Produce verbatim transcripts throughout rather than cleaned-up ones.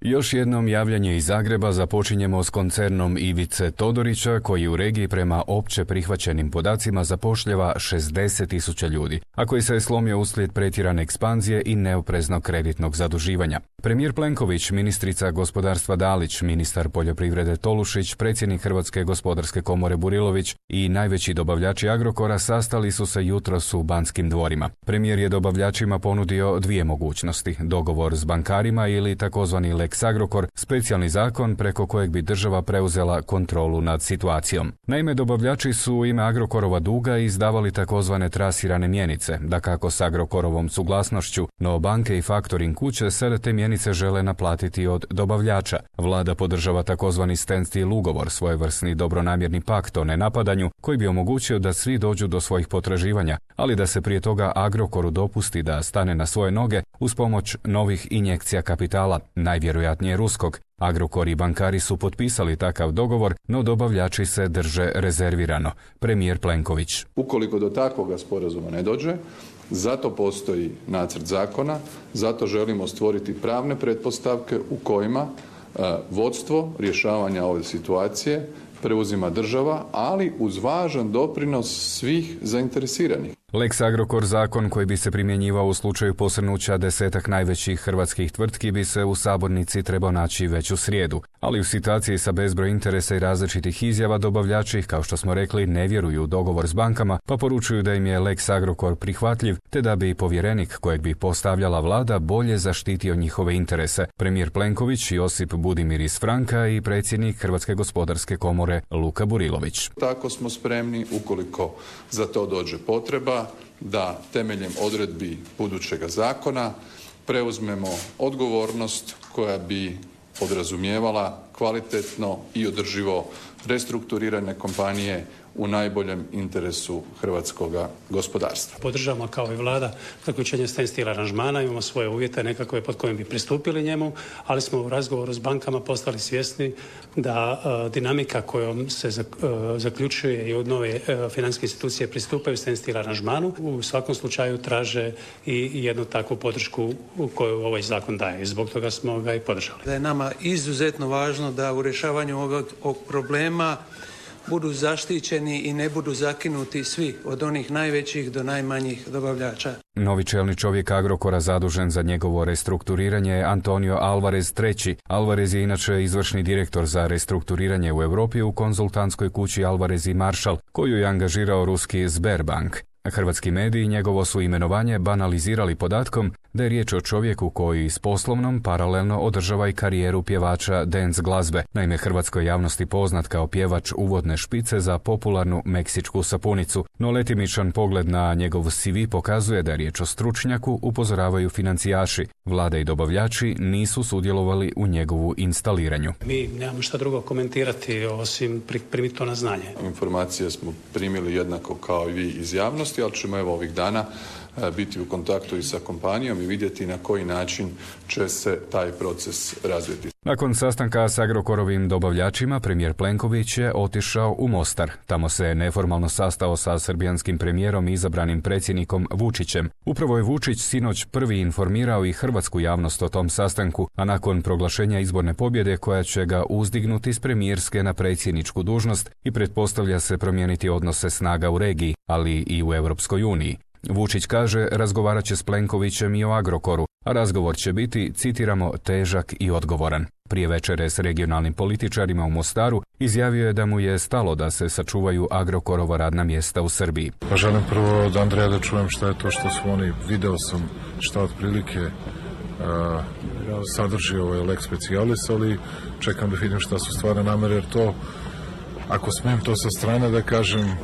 Još jednom javljanje iz Zagreba započinjemo s koncernom Ivice Todorića, koji u regiji prema opće prihvaćenim podacima zapošljava šezdeset tisuća ljudi, a koji se je slomio uslijed pretjerane ekspanzije i neopreznog kreditnog zaduživanja. Premijer Plenković, ministrica gospodarstva Dalić, ministar poljoprivrede Tolušić, predsjednik Hrvatske gospodarske komore Burilović i najveći dobavljači Agrokora sastali su se jutros u Banskim dvorima. Premijer je dobavljačima ponudio dvije mogućnosti: dogovor s bankarima ili takozvani Lex Agrokor, specijalni zakon preko kojeg bi država preuzela kontrolu nad situacijom. Naime, dobavljači su u ime Agrokorova duga izdavali takozvane trasirane mjenice, dakako s Agrokorovom suglasnošću, no banke i faktoring kuće sada te mjenice žele naplatiti od dobavljača. Vlada podržava takozvani standstill ugovor, svojevrsni dobronamjerni pakt o nenapadanju, koji bi omogućio da svi dođu do svojih potraživanja, ali da se prije toga Agrokoru dopusti da stane na svoje noge uz pomoć novih injekcija kapitala, najvjerojatnije ruskog. Agrokor i bankari su potpisali takav dogovor, no dobavljači se drže rezervirano. Premijer Plenković: ukoliko do takvoga sporazuma ne dođe, zato postoji nacrt zakona, zato želimo stvoriti pravne pretpostavke u kojima uh, vodstvo rješavanja ove situacije preuzima država, ali uz važan doprinos svih zainteresiranih. Lex Agrokor, zakon koji bi se primjenjivao u slučaju posrnuća desetak najvećih hrvatskih tvrtki, bi se u sabornici trebao naći već u srijedu. Ali u situaciji sa bezbroj interesa i različitih izjava, dobavljači, kao što smo rekli, ne vjeruju u dogovor s bankama, pa poručuju da im je Lex Agrokor prihvatljiv, te da bi povjerenik kojeg bi postavljala vlada bolje zaštitio njihove interese. Premijer Plenković, Josip Budimir iz Franka i predsjednik Hrvatske gospodarske komore Luka Burilović. Tako smo spremni, ukoliko za to dođe potreba, da temeljem odredbi budućega zakona preuzmemo odgovornost koja bi podrazumijevala kvalitetno i održivo restrukturirane kompanije u najboljem interesu hrvatskog gospodarstva. Podržavamo kao i vlada zaključenje standstill aranžmana, imamo svoje uvjete nekakve pod kojim bi pristupili njemu, ali smo u razgovoru s bankama postali svjesni da uh, dinamika kojom se zak, uh, zaključuje i od nove uh, financijske institucije pristupaju standstill aranžmanu, u svakom slučaju traže i jednu takvu podršku u koju ovaj zakon daje. I zbog toga smo ga i podržali. Da je nama izuzetno važno da u rješavanju ovog, ovog problema budu zaštićeni i ne budu zakinuti svi, od onih najvećih do najmanjih dobavljača. Novi čelni čovjek Agrokora zadužen za njegovo restrukturiranje je Antonio Alvarez treći. Alvarez je inače izvršni direktor za restrukturiranje u Europi u konzultantskoj kući Alvarez i Marshall, koju je angažirao ruski Sberbank. Hrvatski mediji njegovo su imenovanje banalizirali podatkom da je riječ o čovjeku koji s poslovnom paralelno održava i karijeru pjevača dance glazbe. Naime, hrvatskoj javnosti poznat kao pjevač uvodne špice za popularnu meksičku sapunicu, no letimičan pogled na njegov C V pokazuje da je riječ o stručnjaku, upozoravaju financijaši. Vlada i dobavljači nisu sudjelovali u njegovu instaliranju. Mi nemamo šta drugo komentirati osim primiti to na znanje. Informacije smo primili jednako kao i vi iz javnosti, ali ćemo evo ovih dana biti u kontaktu i sa kompanijom i vidjeti na koji način će se taj proces razviti. Nakon sastanka s Agrokorovim dobavljačima, premijer Plenković je otišao u Mostar. Tamo se neformalno sastao sa srbijanskim premijerom i izabranim predsjednikom Vučićem. Upravo je Vučić sinoć prvi informirao i hrvatsku javnost o tom sastanku, a nakon proglašenja izborne pobjede koja će ga uzdignuti s premijerske na predsjedničku dužnost i pretpostavlja se promijeniti odnose snaga u regiji, ali i u Europskoj uniji. Vučić kaže razgovarat će s Plenkovićem i o Agrokoru, a razgovor će biti, citiramo, težak i odgovoran. Prije večere s regionalnim političarima u Mostaru izjavio je da mu je stalo da se sačuvaju Agrokorova radna mjesta u Srbiji. Pa želim prvo od Andreja da čujem šta je to što su oni, video sam šta otprilike uh, sadrži ovaj lex specialis, ali čekam da vidim šta su stvarne namere, jer to, ako smijem to sa strane da kažem,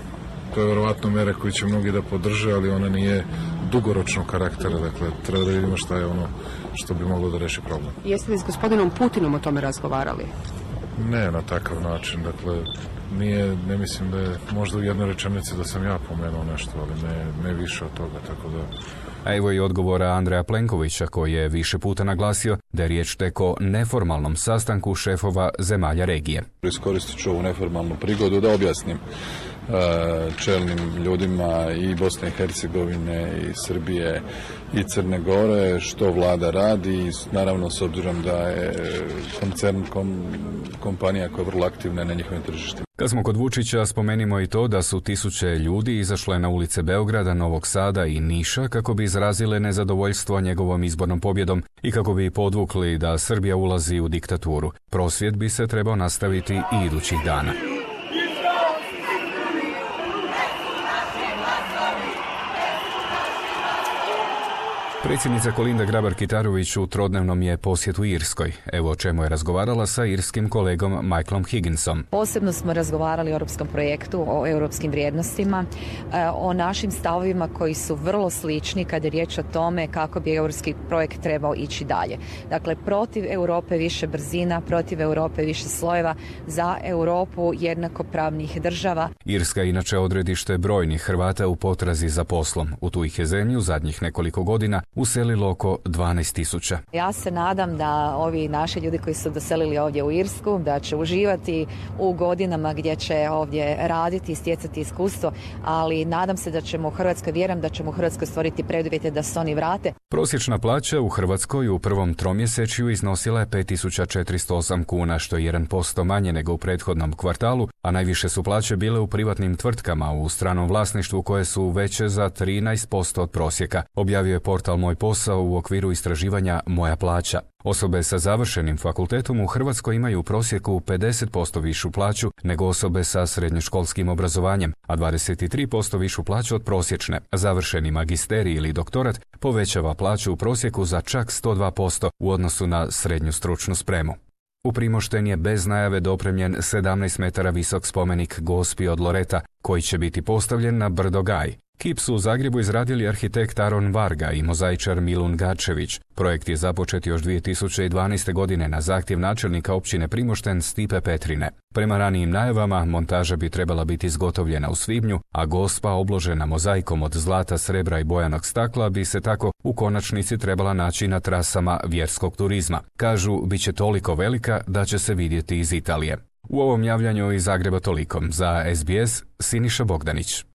to je vjerovatno mjera koju će mnogi da podrže, ali ona nije dugoročnog karaktera, dakle treba da vidimo šta je ono što bi moglo da reši problem. Jeste li s gospodinom Putinom o tome razgovarali? Ne na takav način, dakle nije, ne mislim da je možda u jednoj rečenici da sam ja pomenuo nešto, ali ne, ne više od toga, tako da... A evo i odgovora Andreja Plenkovića, koji je više puta naglasio da je riječ tek o neformalnom sastanku šefova zemalja regije. Iskoristit ću ovu neformalnu prigodu da objasnim čelnim ljudima i Bosne i Hercegovine i Srbije i Crne Gore, što vlada radi, naravno s obzirom da je koncern kom, kompanija koja je vrlo aktivna na njihovim tržištima. Kad smo kod Vučića, spomenimo i to da su tisuće ljudi izašle na ulice Beograda, Novog Sada i Niša kako bi izrazile nezadovoljstvo njegovom izbornom pobjedom i kako bi podvukli da Srbija ulazi u diktaturu. Prosvjed bi se trebao nastaviti i idućih dana. Predsjednica Kolinda Grabar-Kitarović u trodnevnom je posjetu Irskoj. Evo o čemu je razgovarala sa irskim kolegom Michaelom Higginsom. Posebno smo razgovarali o europskom projektu, o europskim vrijednostima, o našim stavovima koji su vrlo slični kada je riječ o tome kako bi europski projekt trebao ići dalje. Dakle, protiv Europe više brzina, protiv Europe više slojeva, za Europu jednakopravnih država. Irska je inače odredište brojnih Hrvata u potrazi za poslom. U tu ih je zemlju zadnjih nekoliko godina uselilo oko dvanaest tisuća. Ja se nadam da ovi naši ljudi koji su doselili ovdje u Irsku, da će uživati u godinama gdje će ovdje raditi i stjecati iskustvo, ali nadam se da ćemo u Hrvatskoj, vjerujem da ćemo u Hrvatskoj stvoriti preduvjete da se oni vrate. Prosječna plaća u Hrvatskoj u prvom tromjesečju iznosila je pet tisuća četiristo osam kuna, što je jedan posto manje nego u prethodnom kvartalu, a najviše su plaće bile u privatnim tvrtkama u stranom vlasništvu koje su veće za trinaest posto od prosjeka, objavio je portal Moj posao u okviru istraživanja Moja plaća. Osobe sa završenim fakultetom u Hrvatskoj imaju u prosjeku pedeset posto višu plaću nego osobe sa srednjoškolskim obrazovanjem, a dvadeset tri posto višu plaću od prosječne. Završeni magisterij ili doktorat povećava plaću u prosjeku za čak sto dva posto u odnosu na srednju stručnu spremu. U Primošten je bez najave dopremljen sedamnaest metara visok spomenik Gospi od Loreta, koji će biti postavljen na brdo Gaj. Kip su u Zagrebu izradili arhitekt Aron Varga i mozaičar Milun Gačević. Projekt je započet još dvije tisuće dvanaeste. godine na zahtjev načelnika općine Primošten Stipe Petrine. Prema ranijim najavama, montaža bi trebala biti izgotovljena u svibnju, a Gospa obložena mozaikom od zlata, srebra i bojanog stakla bi se tako u konačnici trebala naći na trasama vjerskog turizma. Kažu, bit će toliko velika da će se vidjeti iz Italije. U ovom javljanju iz Zagreba toliko. Za S B S, Siniša Bogdanić.